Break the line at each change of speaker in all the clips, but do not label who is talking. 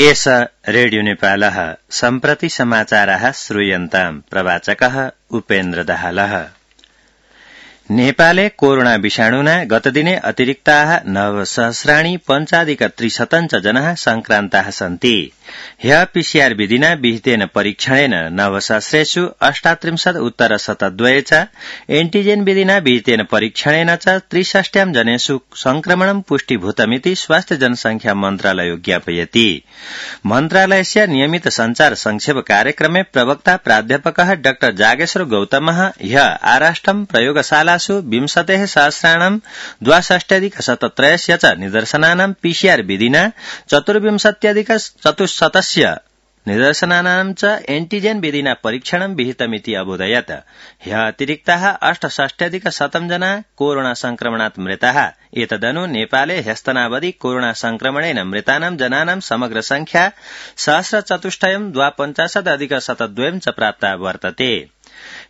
एष रेडियो नेपालः सम्प्रति समाचाराः श्रूयन्ताम्। प्रवाचकः उपेन्द्र दाहालः। नेपाले कोरोना विषाणुना गतदिने अतिरिक्ताः 9,000 पञ्चाधिक-300 जनाः संक्रान्ताः सन्ति। ह्यः पीसीआर विधिना विहितेन परीक्षणेन 9,000 38 उत्तर 72 च एन्टिजेन विधिना विहितेन परीक्षणेन च 63 जनेषु संक्रमणं पुष्टिभूतमिति स्वास्थ्य जनसंख्या मन्त्रालयो ज्ञापयति। मन्त्रालयस्य नियमित संचार संक्षेप कार्यक्रमे प्रवक्ता प्राध्यापकः डाक्टर जागेश्वर गौतमः ह्यः आराष्ट्रं प्रयोगशालासु 20,000 62,17 च निदर्शनानां पीसीआर विधिना 24,000 निदर्शनानां च एन्टिजेन विधिना परीक्षणं विहितमिति अबोधयत्। ह्यः अतिरिक्ताः 68,100 जना कोरोना संक्रमणात् मृताः। एतदनु नेपाले ह्यस्तनावधि कोरोना संक्रमणेन मृतानां जनानां समग्र संख्या 1,452 च प्राप्ता वर्तते।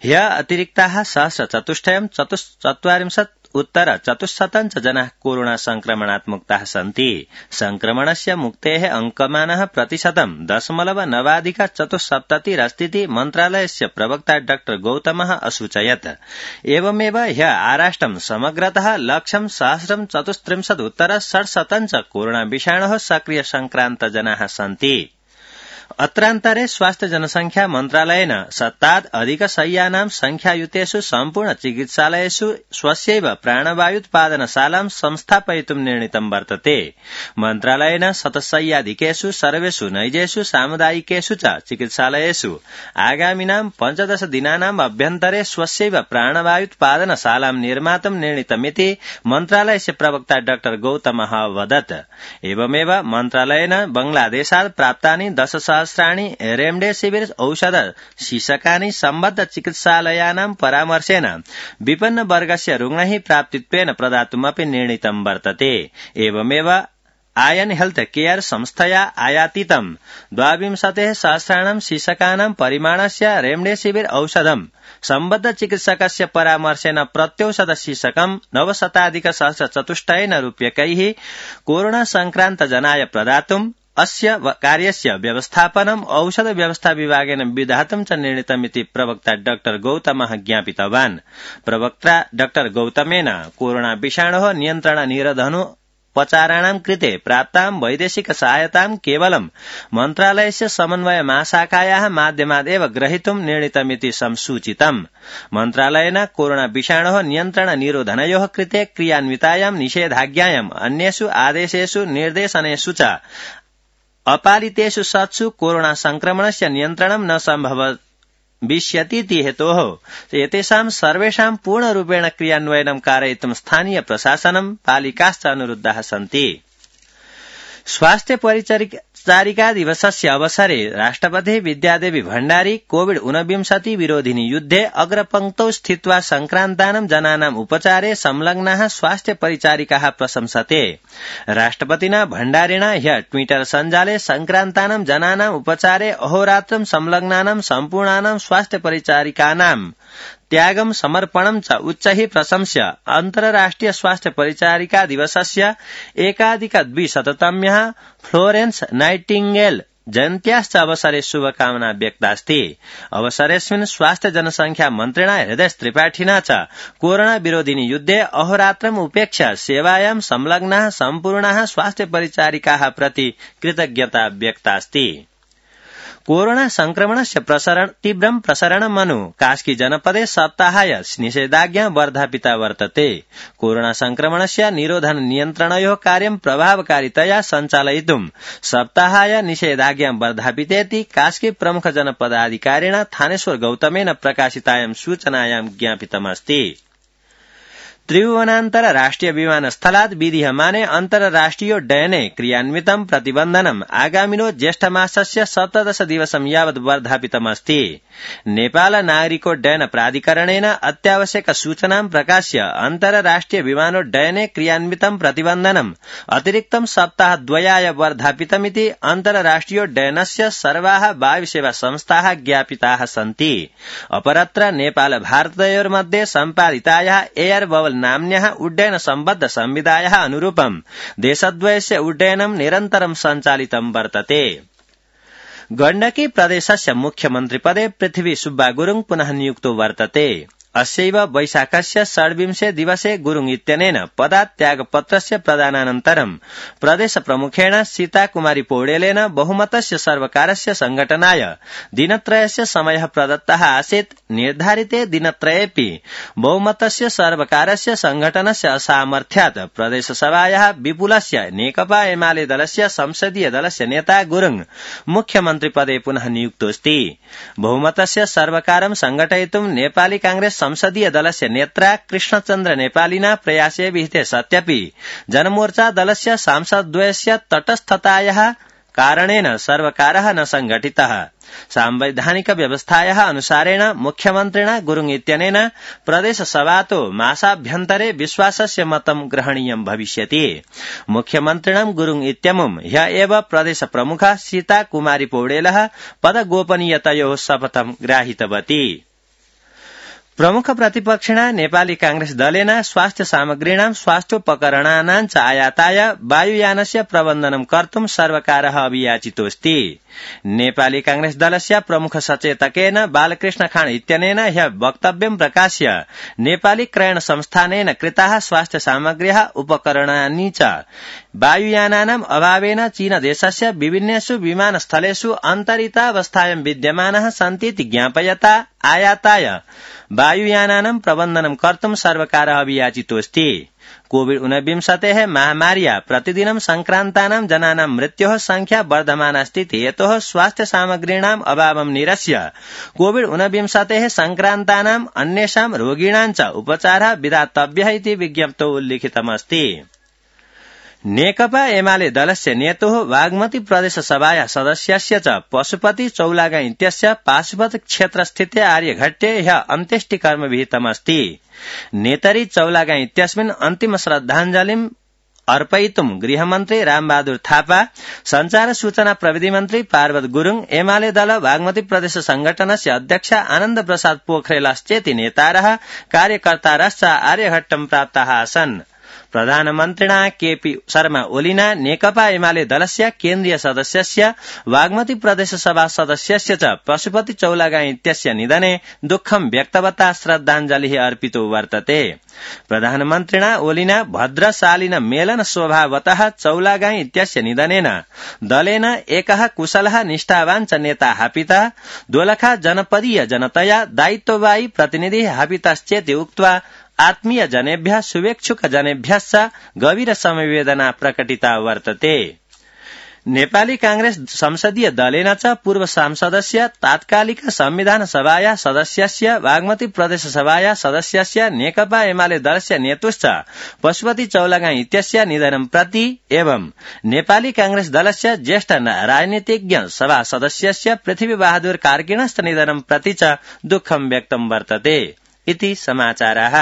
ह्यः अतिरिक्ताः 1,444 उत्तर 400 जनाः कोरोना संक्रमणात् मुक्ताः सन्ति। संक्रमणस्य मुक्तेः अंकमानः प्रतिशतं 0.9% मन्त्रालयस्य प्रवक्ता डाक्टर गौतमः असूचयत्। एवमेव ह्यः आराष्ट्रं समग्रतः 1,034 उत्तर 67 च कोरोना विषाणोः सक्रिय संक्रान्त जनाः सन्ति। अत्रान्तरे स्वास्थ्य जनसंख्या मन्त्रालयेन शतात् अधिकशय्यानां संख्यायुतेषु सम्पूर्ण चिकित्सालयेषु स्वस्यैव प्राणवायुत्पादनशालां संस्थापयितुं निर्णीतं वर्तते। मन्त्रालयेन शतशय्याधिकेषु सर्वेषु नैजेषु सामुदायिकेषु च चिकित्सालयेषु आगामिनां 15 दिनानाम् अभ्यन्तरे स्वस्यैव प्राणवायुत्पादनशालां निर्मातुं निर्णीतमिति मन्त्रालयस्य प्रवक्ता डाक्टर गौतमः अवदत्। एवमेव मन्त्रालयेन बांग्लादेशात् प्राप्तानि 10,000 रेमडेसिविर औषध शीर्षकानि सम्बद्ध चिकित्सालयानां परामर्शेन विपन्न वर्गस्य रुग्णैः प्राप्तित्वेन प्रदातुमपि निर्णीतं वर्तते। एवमेव आयन हेल्थ केयर संस्थया आयातितं 22,000 शीर्षकानां परिमाणस्य रेमडेसिविर औषधं सम्बद्ध चिकित्सकस्य परामर्शेन प्रत्यौषध शीर्षकं 9,000,000 रूप्यकैः कोरोना संक्रान्त जनाय प्रदातुम् अस्य कार्यस्य व्यवस्थापनम् औषध व्यवस्था विभागेन विधातुं च निर्णीतमिति प्रवक्ता डाक्टर गौतमः ज्ञापितवान्। प्रवक्ता डाक्टर गौतमेन कोरोना विषाणोः नियन्त्रण निरोधनोपचाराणां कृते प्राप्तां वैदेशिक सहायतां केवलं मन्त्रालयस्य समन्वय महाशाखायाः माध्यमादेव ग्रहीतुं निर्णीतमिति संसूचितम्। मन्त्रालयेन कोरोना विषाणोः नियन्त्रण निरोधनयोः कृते क्रियान्वितायां निषेधाज्ञायाम् अन्येषु आदेशेषु निर्देशनेषु च अपालितेषु सत्सु कोरोना संक्रमणस्य नियन्त्रणं न सम्भविष्यतीति हेतोः एतेषां सर्वेषां पूर्णरूपेण क्रियान्वयनं कारयितुं स्थानीय प्रशासनं पालिकाश्च अनुरुद्धाः सन्ति। स्वास्थ्य परिचारिका दिवसस्य अवसरे राष्ट्रपतिः विद्यादेवी भण्डारी कोविड-19 विरोधिनि युद्धे अग्रपङ्क्तौ स्थित्वा संक्रान्तानां जनानां उपचारे संलग्नाः स्वास्थ्य परिचारिकाः प्रशंसते। राष्ट्रपतिना भण्डारिणा ह्यः ट्विटर सञ्जाले संक्रान्तानां जनानां उपचारे अहोरात्रं संलग्नानां सम्पूर्णानां स्वास्थ्य परिचारिकानां त्यागं समर्पणं च उच्चैः प्रशंस्य अन्तर्राष्ट्रिय स्वास्थ्य परिचारिका दिवसस्य 1,200तम्यः फ्लोरेन्स नाइटिंगेल जयन्त्याश्च अवसरे शुभकामना व्यक्तास्ति। अवसरेऽस्मिन् स्वास्थ्य जनसंख्या मन्त्रिणा हृदय त्रिपाठिना च कोरोना विरोधिनि युद्धे अहोरात्रम् उपेक्ष्य सेवायां संलग्नाः सम्पूर्णाः स्वास्थ्य परिचारिकाः प्रति कृतज्ञता व्यक्तास्ति। कोरोना संक्रमणस्य तीव्रं प्रसरणमनु कास्की जनपदे सप्ताहाय निषेधाज्ञा वर्धापिता वर्तते। कोरोना संक्रमणस्य निरोधन नियन्त्रणयोः कार्यं प्रभावकारितया सञ्चालयितुं सप्ताहाय निषेधाज्ञा वर्धापितेति कास्की प्रमुख जनपदाधिकारिणा थानेश्वर गौतमेन प्रकाशितायां सूचनायां ज्ञापितमस्ति। त्रिभुवनान्तर राष्ट्रिय विमानस्थलात् विधीयमाने अन्तर्राष्ट्रियोड्डयने क्रियान्वितं प्रतिबन्धनम् आगामिनो ज्येष्ठमासस्य 17 दिवसं यावत् वर्धापितमस्ति। नेपाल नागरिकोड्डयन प्राधिकरणेन अत्यावश्यक सूचनां प्रकाश्य अन्तर्राष्ट्रिय विमानोड्डयने क्रियान्वितं प्रतिबन्धनम् अतिरिक्तं सप्ताहद्वयाय वर्धापितमिति अन्तर्राष्ट्रियोड्डयनस्य सर्वाः वायुसेवा संस्थाः ज्ञापिताः सन्ति। अपरत्र नेपाल भारतयोर्मध्ये सम्पादितायाः एयर बबल नाम्न्याः उड्डयन सम्बद्ध संविधायाः अनुरूपं देशद्वयस्य उड्डयनं निरन्तरं सञ्चालितं वर्तते। गण्डकी प्रदेशस्य मुख्यमन्त्रिपदे पृथ्वी सुब्बा गुरुङ पुनः नियुक्तो वर्तते। अस्यैव वैशाखस्य 26 दिवसे गुरुङ इत्यनेन पदात्यागपत्रस्य प्रदानानन्तरं प्रदेश प्रमुखेण सीताकुमारी पौडेलेन बहुमतस्य सर्वकारस्य संघटनाय दिनत्रयस्य समयः प्रदत्तः आसीत्। निर्धारिते दिनत्रयेऽपि बहुमतस्य सर्वकारस्य संघटनस्य असामर्थ्यात् प्रदेशसभायाः विपुलस्य नेकपा एमाले दलस्य संसदीय दलस्य नेता गुरुङ मुख्यमन्त्रिपदे पुनः नियुक्तोऽस्ति। बहुमतस्य सर्वकारं संघटयितुं नेपाली कांग्रेस संसदीय दलस्य नेत्रा कृष्णचन्द्र नेपालिना प्रयासे विहिते सत्यपि जनमोर्चा दलस्य सांसदद्वयस्य तटस्थतायाः कारणेन सर्वकारः न संघटितः। सांवैधानिक व्यवस्थायाः अनुसारेण मुख्यमन्त्रिणा गुरुङ इत्यनेन प्रदेशसभातो मासाभ्यन्तरे विश्वासस्य मतं ग्रहणीयं भविष्यति। मुख्यमन्त्रिणं गुरुङ इत्यमुं ह्य एव प्रदेश प्रमुखा सीताकुमारी पौडेलः पदगोपनीयतयोः शपथं ग्राहितवती। प्रमुख प्रतिपक्षिणा नेपाली कांग्रेस दलेन स्वास्थ्य सामग्रीणां स्वास्थ्योपकरणानां च आयाताय वायुयानस्य प्रबन्धनं कर्तुं सर्वकारः अभियाचितोऽस्ति। नेपाली कांग्रेस दलस्य प्रमुख सचेतकेन बालकृष्ण खाँड इत्यनेन ह्य वक्तव्यं प्रकाश्य नेपाली क्रयण संस्थानेन कृताः स्वास्थ्य सामग्र्यः उपकरणानि च वायुयानानाम् अभावेन चीन देशस्य विभिन्नेषु विमानस्थलेषु अन्तरितावस्थायां विद्यमानाः सन्तीति ज्ञापयता आयाताय वायुयानानां प्रबन्धनं कर्तुं सर्वकारः अभियाचितोऽस्ति। कोविड-19 महामार्या प्रतिदिनं संक्रान्तानां जनानां मृत्योः संख्या वर्धमानास्ति। यतोः स्वास्थ्य सामग्रीणाम् अभावं निरस्य कोविड-19 संक्रान्तानाम् अन्येषां रोगिणां च उपचारः विधातव्यः इति विज्ञप्तौ उल्लिखितमस्ति। नेकपा एमाले दलस्य नेतुः बागमती प्रदेशसभाया सदस्यस्य च पशुपति चौलागा इत्यस्य पाशुपत क्षेत्रस्थिते आर्यघट्टे ह्य अन्त्येष्टिकर्म विहितमस्ति। नेतरी चौलागा इत्यस्मिन् अन्तिम श्रद्धाञ्जलिं अर्पयितुं गृहमन्त्री रामबहादुर थापा, संचार सूचना प्रविधि मन्त्री पार्वत गुरुङ, एमाले दल बागमती प्रदेश संगठनस्य अध्यक्ष आनन्द प्रसाद पोखरेलश्चेति नेतारः कार्यकर्तारश्च आर्यघट्टं प्राप्ताः आसन्। प्रधानमन्त्रिणा केपी शर्मा ओलीना नेकपा एमाले दलस्य केन्द्रीय सदस्यस्य बागमती प्रदेशसभा सदस्यस्य च पशुपति चौलागा इत्यस्य निधने दुःखं व्यक्तवता श्रद्धाञ्जलिः अर्पितो वर्तते। प्रधानमन्त्रिणा ओलीना भद्रशालिन मेलन स्वभावतः चौलागा इत्यस्य निधनेन दलेन एकः कुशलः निष्ठावान् च नेता हापितः, दोलखा जनपदीय जनतया दायित्ववाही प्रतिनिधिः हापितश्चेति उक्त्वा आत्मीय जनेभ्यः शुभेच्छुक जनेभ्यश्च गभीर समवेदना प्रकटिता वर्तते। नेपाली कांग्रेस संसदीय दलेन च पूर्व सांसदस्य तात्कालिक संविधान सभाया सदस्यस्य बागमती प्रदेश सभाया सदस्यस्य नेकपा एमाले दलस्य नेतुश्च पशुपति चौलागा इत्यस्य निधनं प्रति एवं नेपाली कांग्रेस दलस्य ज्येष्ठ राजनीतिज्ञ सभा सदस्यस्य पृथ्वी बहादुर कार्कीणस्य निधनं प्रति च दुःखं व्यक्तं वर्तते इति समाचाराः।